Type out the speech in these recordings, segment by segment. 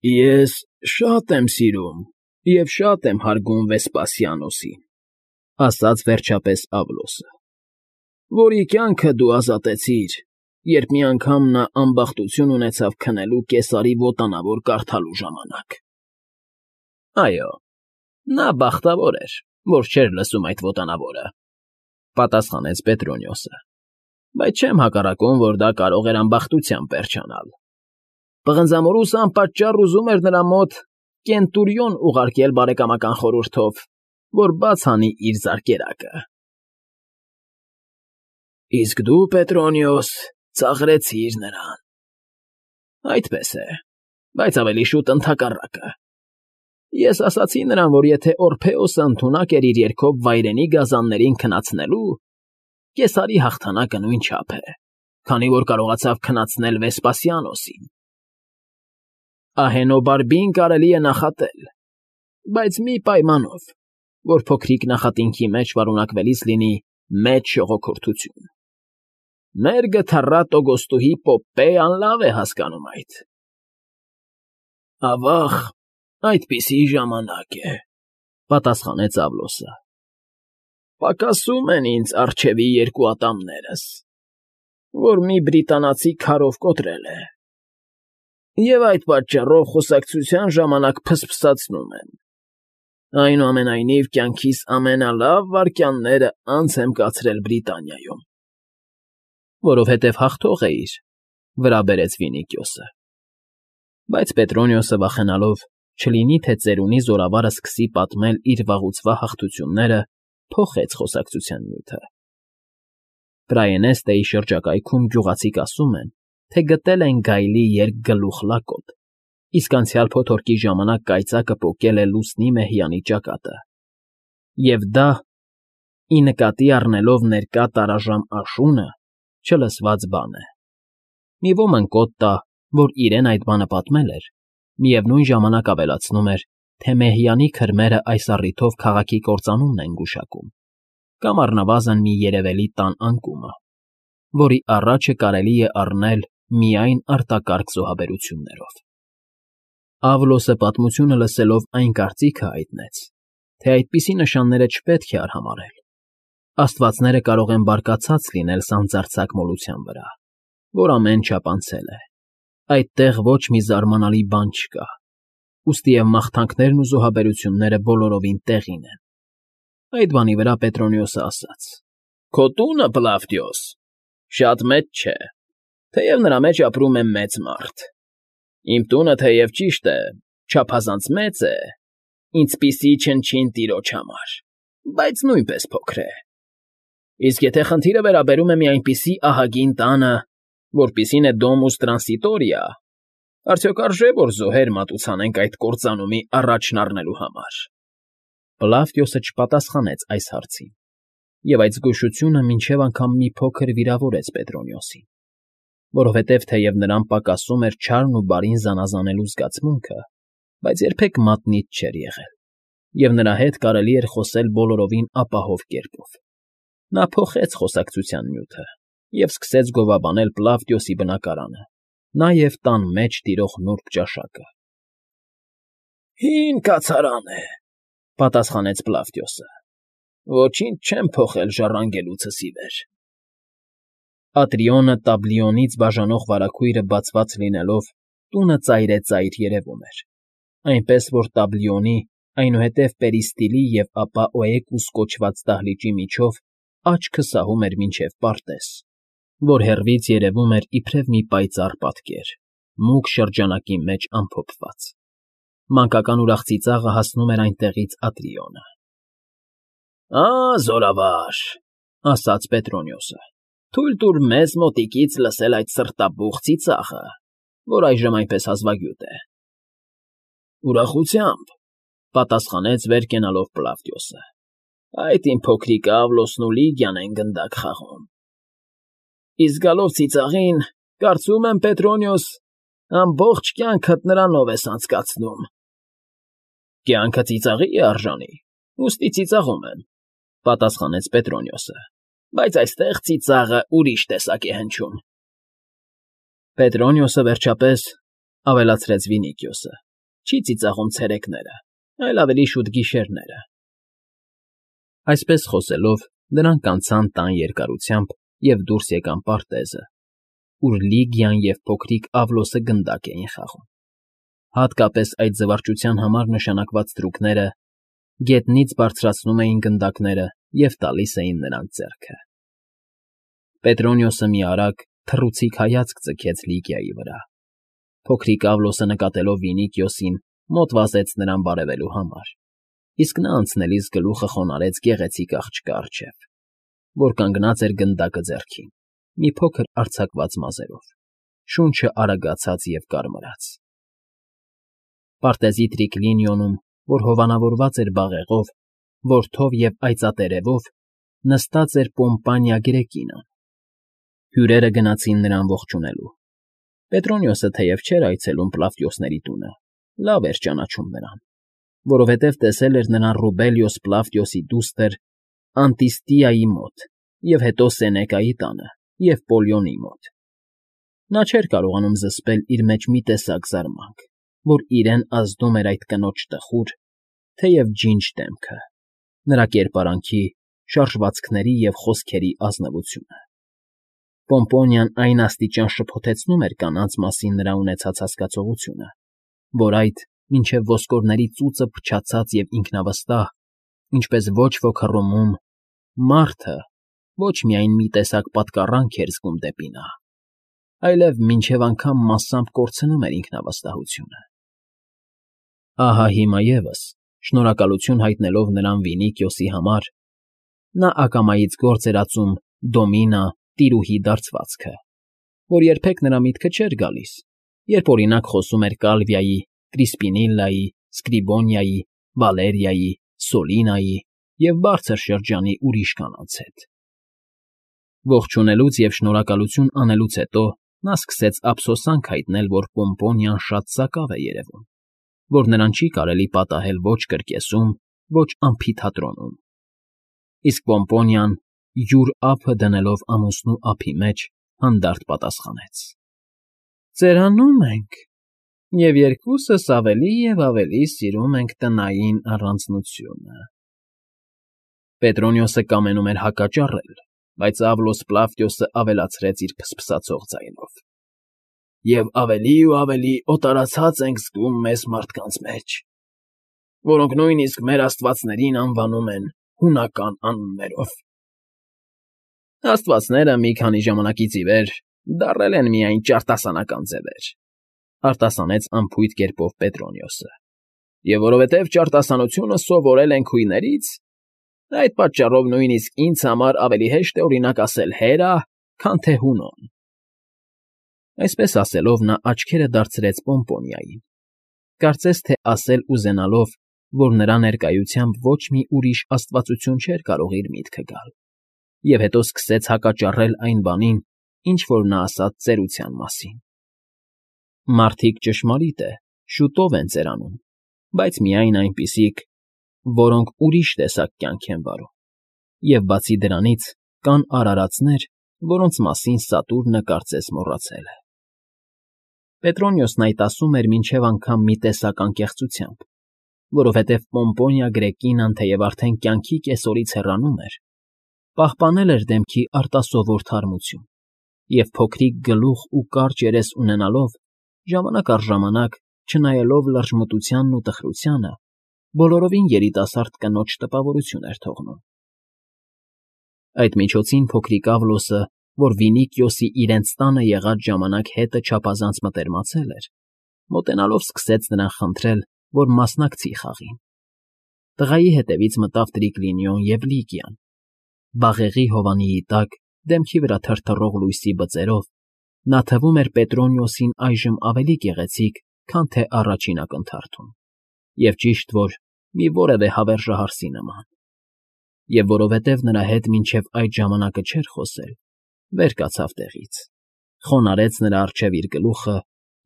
Ես շատ եմ սիրում և շատ եմ հարգում Վեսպասիանոսին,֊ ասաց վերջապես Ավլոսը,֊ որի կյանքը դու ազատեցիր, երբ մի անգամ նա ամբախտություն ունեցավ քնելու կեսարի ոտանավոր կարդալու ժամանակ։ ֊ Այո, նա բախտավոր էր, որ չէր լսում այդ ոտանավորը,֊ պատասխանեց Պետրոնիոսը,֊ բայց չեմ հակառակում, որ դա կարող էր ամբախտությամբ վերջանալ։ Պղնձամորուսը անպատճառ ուզում էր նրա մոտ Կենտուրիոն ուղարկել բարեկամական խորհրդով, որ բաց անի իր զարկերակը։ ֊ Իսկ դու, Պետրոնիոս, ծաղրեցիր նրան։ ֊ Այդպես է, բայց ավելի շուտ ընդհակառակը։ Ես ասացի նրան, որ եթե Օրփեոսը ընդունակ էր իր երգով վայրենի գազաններին քնացնելու, կեսարի հաղթանակը նույնչափ է, քանի որ կարողացավ քնացնել Վեսպասիանոսին։ Ահենոբարբին կարելի է նախատել, բայց մի պայմանով, որ փոքրիկ նախատինքի մեջ պարունակվելիս լինի մեծ շողոքորթություն։ Մեր գթառատ Տոգոստուհի Պոպպեան լավ է հասկանում այդ։ ֊ Ավա՜ղ, այդպիսի ժամանակ է,֊ պատասխանեց Ավլոսը։ Պակասում են ինձ առջևի երկու ատամներս, որ մի բրիտանացի քարով կոտրել է, և այդ պատճառով խոսակցության ժամանակ փսփսացնում եմ։ Այնուամենայնիվ կյանքիս ամենալավ վայրկյանները անց եմ կացրել Բրիտանիայում։ ֊ Որովհետև հաղթող էիր,֊ վրա բերեց Վինիքիոսը։ Բայց Պետրոնիոսը վախենալով, չլինի թե ծերունի զորավարը սկսի պատմել իր վաղուցվա հաղթությունները, փոխեց խոսակցության նյութը։ Պրայենեստեի շրջակայքում գյուղացիք ասում են, թե գտել են գայլի երկգլուխ լակոտ, իսկ անցյալ փոթորկի ժամանակ կայծակը պոկել է լուսնի մեհյանի ճակատը, և դա, ի նկատի առնելով ներկա տարաժամ աշունը, չլսված բան է։ Մի ոմն կոտ տա, որ իրեն այդ բանը պատմել էր, միևնույն ժամանակ ավելացնում էր, թե մեհյանի քրմերը այս առիթով քաղաքի կործանումն են գուշակում, կամ առնվազն մի երևելի տան անկումը, որի առաջը կարելի է առնել միայն արտակարգ զոհաբերություններով։ Ավլոսը պատմությունը լսելով այն կարծիքը հայտնեց, թե այդպիսի նշանները չպետք է արհամարհել։ Աստվածները կարող են բարկացած լինել սանձարձակ մոլության վրա, որ ամեն չափ անցել է։ Այդտեղ ոչ մի զարմանալի բան չկա, ուստիև մաղթանքներն ու զոհաբերությունները բոլորովին տեղին են։ Այդ բանի վրա Պետրոնիոսը ասաց. «Քո տունը, Պլավդիոս, շատ մեծ չէ, թեև նրա մեջ ապրում է մեծ մարդ։ Իմ տունը, թեև ճիշտ է, չափազանց մեծ է, ինձպիսի չնչին տիրոջ համար, բայց նույնպես փոքր է։ Իսկ եթե խնդիրը վերաբերում է մի այնպիսի ահագին տանը, որպիսին է Դոմուս Տրանսիտորիա, արդյոք արժե՞ որ զոհեր մատուցանենք այդ կործանումի առաջն առնելու համար»։ Պլավդիոսը չպատասխանեց այս հարցին, և այդ զգուշությունը մինչև անգամ մի փոքր վիրավորեց Պետրոնիոսին, որովհետև թեև նրան պակասում էր չարն ու բարին զանազանելու զգացմունքը, բայց երբեք մատնիչ չէր եղել, և նրա հետ կարելի էր խոսել բոլորովին ապահով կերպով։ Նա փոխեց խոսակցության նյութը և սկսեց գովաբանել Պլավդիոսի բնակարանը, նաև տան մեջ տիրող նուրբ ճաշակը։ ֊ Հին կացարան է,֊ պատասխանեց Պլավդիոսը,֊ ոչինչ չեմ փոխել ժառանգելուցս ի վեր։ Ատրիոնը Տաբլիոնից բաժանող վարագույրը բացված լինելով, տունը ծայրեծայր երևում էր, այնպես որ Տաբլիոնի, այնուհետև Պերիստիլի և ապա Օեկուս կոչված դահլիճի միջով աչքը սահում էր մինչև պարտեզ, որ հեռվից երևում էր իբրև մի պայծառ պատկեր, մուգ շրջանակի մեջ ամփոփված։ Մանկական ուրախ ծիծաղը հասնում էր այնտեղից Ատրիոնը։ ֊ Զորավար,֊ ասաց Պետրոնիոսը,֊ թույլ տուր մեզ մոտիկից լսել այդ սրտաբուխ ծիծաղը, որ այժմ այնպես հազվագյուտ է։ ֊ Ուրախությամբ,֊ պատասխանեց վեր կենալով Պլավդիոսը,֊ այդ իմ փոքրիկ Ավլոսն ու Լիգիան են գնդակ խաղում։ Իսկ գալով ծիծաղին, կարծում եմ, Պետրոնիոս, ամբողջ կյանքդ նրանով ես անցկացնում։ ֊ Կյանքը ծիծաղի է արժանի, ուստի ծիծաղում եմ,֊ պատասխանեց Պետրոնիոսը,֊ բայց այստեղ ծիծաղը ուրիշ տեսակ է հնչում։ Պետրոնիոսը, վերջապես,֊ ավելացրեց Վինիքիոսը,֊ Չի ծիծաղում ցերեկները, այլ ավելի շուտ գիշերները։ Այսպես խոսելով, նրանք անցան տան երկարությամբ և դուրս եկան պարտեզը, ուր Լիգիան և փոքրիկ Ավլոսը գնդակ էին խաղում։ Հատկապես այդ զվարճության համար նշանակված թրուքները գետնից բարձրացնում էին գնդակները և տալիս էին նրանց ձեռքը։ Պետրոնիոսը մի արագ, թռուցիկ հայացք ձգեց Լիգիայի վրա։ Փոքրիկ Ավլոսը նկատելով Վինիքիոսին, մոտ վազեց նրան բարևելու համար, իսկ նա անցնելիս գլուխը խոնարհեց գեղեցիկ աղջկա առջև, որ կանգնած էր գնդակը ձեռքին, մի փոքր արձակված մազերով, շունչը արագացած և կարմրած։ Պարտեզի տրիկլինիոնում, որ հովանավորված էր բաղեղով, որդով և այծատերևով, նստած էր Պոմպանիա Գրեկինան։ Հյուրերը գնացին նրան ողջունելու։ Պետրոնիոսը թեև չէր այցելում Պլավտիոսների տունը, լավ էր ճանաչում նրան, որովհետև տեսել էր նրան Ռուբելիոս Պլավտիոսի դուստր Անտիստիայի մոտ և հետո Սենեկայի տանը և Պոլիոնի մոտ։ Նա չէր կարողանում զսպել իր մեջ մի տեսակ զարմանք, որ իրեն ազդում էր այդ կնոջ տխուր, թեև ջինջ դեմքը, նրա կերպարանքի, շարժվածքների և խոսքերի ազնվությունը։ Պոմպոնիան այն աստիճան շփոթեցնում էր կանանց մասին նրա ունեցած հասկացողությունը, որ այդ, մինչև ոսկորների ծուծը փչացած և ինքնավստահ, ինչպես ոչ ոք հռոմում, մարդը ոչ միայն մի տեսակ պատկառանք էր զգում դեպի նա, այլև մինչև անգամ մասամբ կորցնում էր ինքնավստահությունը։ Ահա հիմա ևս, շնորհակալություն հայտնելով նրան Վինիքիոսի համար, նա ակամայից գործ էր ածում Դոմինա տիրուհի դարձվածքը, որ երբեք նրա միտքը չէր գալիս, երբ օրինակ խոսում էր Կալվիայի, Կրիսպինիլլայի, Սկրիբոնիայի, Վալերիայի, Սոլինայի և բարձր շրջանի ուրիշ կանանց հետ։ Ողջունելուց և շնորհակալություն անելուց հետո նա սկսեց ափսոսանք հայտնել, որ Պոմպոնիան շատ սակավ է երևում, որ նրան չի կարելի պատահել ոչ կրկեսում, ոչ ամֆիթատրոնում։ Իսկ Պոմպոնիան, յուր ափը դնելով ամուսնու ափի մեջ, հանդարտ պատասխանեց. «Ծերանում ենք, և երկուսս ավելի և ավելի սիրում ենք տնային առանձնությունը»։ Պետրոնիոսը կամենում էր հակաճառել, բայց Ավլոս Պլավտիոսը ավելացրեց իր փսփսացող ձայնով. «Եվ ավելի ու ավելի օտարացած ենք զգում մեզ մարդկանց մեջ, որոնք նույնիսկ մեր աստվածներին անվանում են հունական անուններով»։ «Աստվածները մի քանի ժամանակից ի վեր դառել են միայն ճարտասանական ձևեր», արտասանեց անփույթ կերպով Պետրոնիոսը, «և որովհետև ճարտասանությունը սովորել ենք հույներից, այդ պատճառով նույնիսկ ինձ համար ավելի հեշտ է օրինակ ասել Հերա, քան թե Հունոն»։ Այսպես ասելով նա աչքերը դարձրեց Պոմպոնիային, կարծես թե ասել ուզենալով, որ նրա ներկայությամբ ոչ մի ուրիշ աստվածություն չէր կարող իր միտքը գալ, և հետո սկսեց հակաճառել այն բանին, ինչ որ նա ասաց ծերության մասին։ Մարդիկ, ճշմարիտ է, շուտով են ծերանում, բայց միայն այնպիսիք, որոնք ուրիշ տեսակ կյանք են վարում, և բացի դրանից կան արարածներ, որոնց մասին Սատուրնը կարծես մոռացել է։ Պետրոնիոսն այդ ասում էր մինչև անգամ մի տեսակ անկեղծությամբ, որովհետև Պոմպոնիա Գրեկինան թեև արդեն կյանքի կեսօրից հեռանում էր, պահպանել էր դեմքի արտասովոր թարմություն և փոքրիկ գլուխ ու կարճ երես ունենալով, ժամանակ առ ժամանակ, չնայելով լրջմտությանն ու տխրությանը, բոլորովին երիտասարդ կնոջ տպավորություն էր թողնում։ Այդ միջոցին փոքրիկ Ավլոսը, որ Վինիքիոսի իրենց տանը եղած ժամանակ հետը չափազանց մտերմացել էր, մոտենալով սկսեց նրան խնդրել, որ մասնակցի խաղին։ Տղայի հետևից մտավ Տրիկլինիոն և Լիգիան։ Բաղեղի հովանիի տակ, դեմքի վրա թրթռող լույսի բծերով, նա թվում էր Պետրոնիոսին այժմ ավելի գեղեցիկ, քան թե առաջին ակնթարթում, և ճիշտ որ մի որևէ հավերժահարսի նման։ Եվ որովհետև նրա հետ մինչև այդ ժամանակը չէր խոսել, վեր կացավ տեղից, խոնարհեց նրա առջև իր գլուխը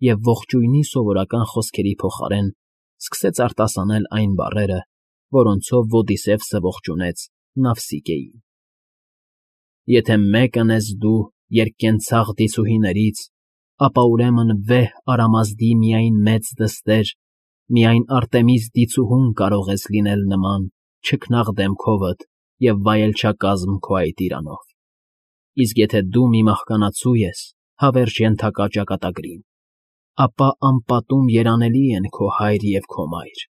և ողջույնի սովորական խոսքերի փոխարեն սկսեց արտասանել այն բառերը, որոնցով Ոդիսևսը ողջունեց Նավսիգեին։ «Եթե մեկն ես դու երկկենցաղ դիցուհիներից, ապա ուրեմն վեհ Արամազդի միայն մեծ դստեր՝ Միայն Արտեմիս դիցուհուն կարող ես լինել նման, չքնաղ դեմքովդ և վայելչակազմ քո այդ իրանով, իսկ եթե դու մի մահկանացու ես, հավերժ ենթակա ճակատագրին, ապա անպատում երանելի են քո հայր և քո մայր,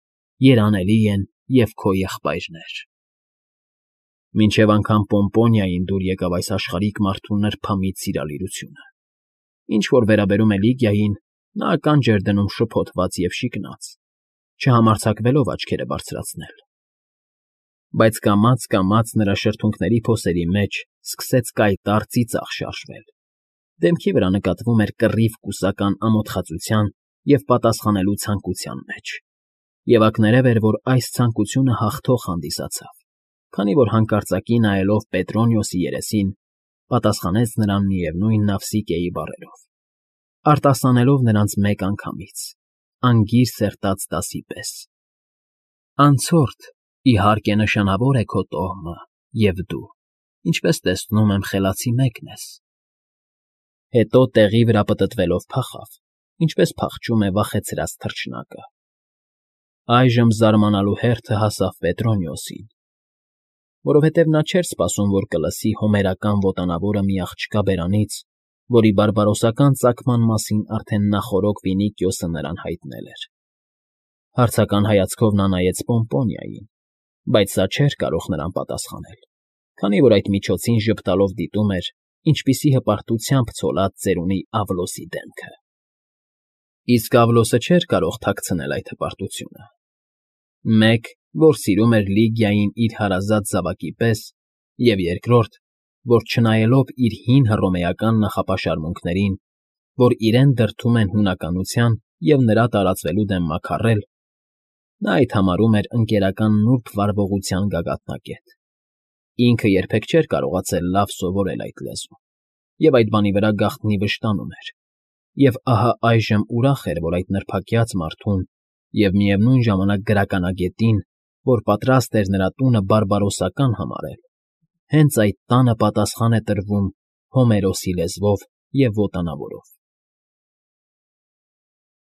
երանելի են և քո եղբայրներ… Մինչև անգամ Պոմպոնիային դուր եկավ այս աշխարհիկ մարդու նրբամիտ սիրալիրությունը. ինչ որ վերաբերում է Լիգիային, նա ականջ էր դնում շփոթված և շիկնած, չհամարձակվելով աչքերը բարձրացնել, բայց կամաց֊կամաց նրա շրթունքների փոսերի մեջ սկսեց կայտառ ծիծաղ շարժվել, դեմքի վրա նկատվում էր կռիվ կուսական ամոթխածության և պատասխանելու ցանկության մեջ, և ակներև էր, որ այս ցանկությունը հաղթող հանդիսացավ, քանի որ հանկարծակի նայելով Պետրոնիոսի երեսին, պատասխանեց նրան միևնույն Նավսիկիայի բառերով, արտասանելով նրանց մեկ անգամից, անգիր սերտած դասի պես. «Անցորդ, իհարկե նշանավոր է քո տոհմը, և դու, ինչպես տեսնում եմ, խելացի մեկն ես»։ Հետո տեղի վրա պտտվելով փախավ, ինչպես փախչում է վախեցրած թռչնակը։ Այժմ զարմանալու հերթը հասավ Պետրոնիոսին, որովհետև նա չէր սպասում, որ կլսի հոմերական ոտանավորը մի աղջկա բերանից, որի բարբարոսական ծագման մասին արդեն նախօրոք Վինիկիոսը նրան հայտնել էր։ Հարցական հայացքով նա նայեց Պոմպոնիային, բայց սա չէր կարող նրան պատասխանել, քանի որ այդ միջոցին ժպտալով դիտում էր, ինչպիսի հպարտությամբ ցոլած ծերունի Ավլոսի դեմքը։ Իսկ Ավլոսը չէր կարող թաքցնել այդ հպարտությունը։ Մեկ, որ սիրում էր Լիգիային իր հարազատ զավակի պես, և երկրորդ, որ չնայելով իր հին հռոմեական նախապաշարմունքներին, որ իրեն դրդում են հունականության և նրա տարածվելու դեմ մաքարել, նա այդ համարում էր ընկերական նուրբ վարվողության գագաթնակետ։ Ինքը երբեք չէր կարողացել լավ սովորել այդ լեզուն, և այդ բանի վրա գաղտնի վշտանում էր, և ահա այժմ ուրախ էր, որ այդ նրբակյաց մարդուն և միևնույն ժամանակ գրականագետին, որ պատրաստ էր նրա տունը բարբարոսական համարել, հենց այդ տանը պատասխան է տրվում Հոմերոսի լեզվով և ոտանավորով։